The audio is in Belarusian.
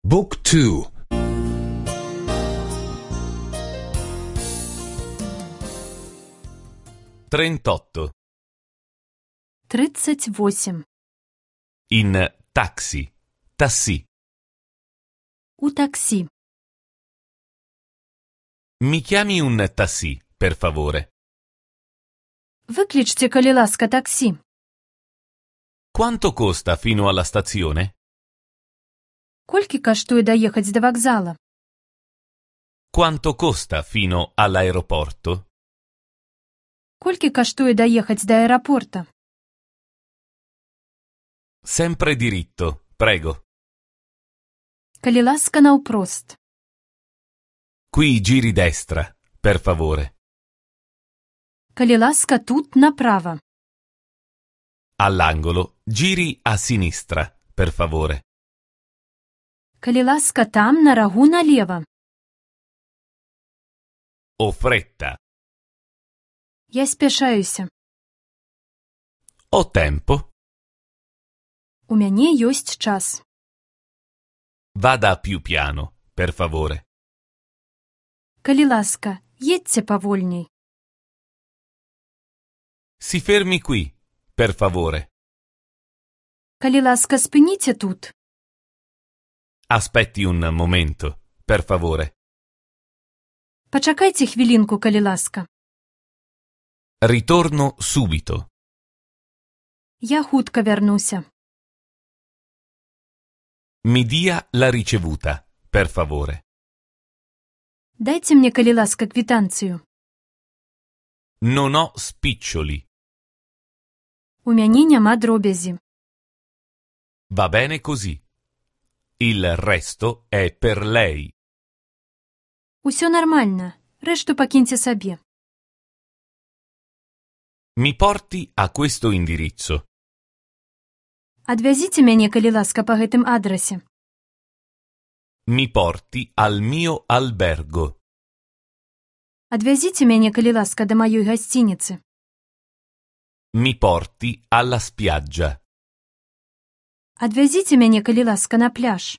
Book 2. 38. 38. In taxi. Tassì. У таксі. Mi chiami un tassì, per favore. Викличте, калі ласка, таксі. Quanto costa fino alla stazione? Колькі каштуе даехаць да вакзала? Quanto costa fino all'aeroporto? Колькі каштуе даехаць да аэрапорта? Sempre diritto, prego. Калі ласка, наўпрост. Qui giri destra, per favore. Калі ласка, тут направа. All'angolo giri a sinistra, per favore. Калі ласка, там, на рагу, налева. Ho fretta. Я спяшаюся. Ho tempo. У мяне ёсць час. Vada più piano, per favore. Калі ласка, едьце павольней. Si fermi qui, per favore. Калі ласка, спыніце тут. Aspetti un momento, per favore. Пачакайце хвілінку, калі ласка. Ritorno subito. Я хутка вярнуся. Mi dia la ricevuta, per favore. Дайце мне, калі ласка, квітанцыю. Non ho spiccioli. У мяне няма дробязі. Va bene così. Il resto è per lei. Усё нармальна. Рэшту пакіньце сабе. Mi porti a questo indirizzo. Адвязіце мяне, калі ласка, па гэтым адрасе. Mi porti al mio albergo. Адвязіце мяне, калі ласка, да маёй гасцініцы. Mi porti alla spiaggia. Адвязіце мяне, калі ласка, на пляж.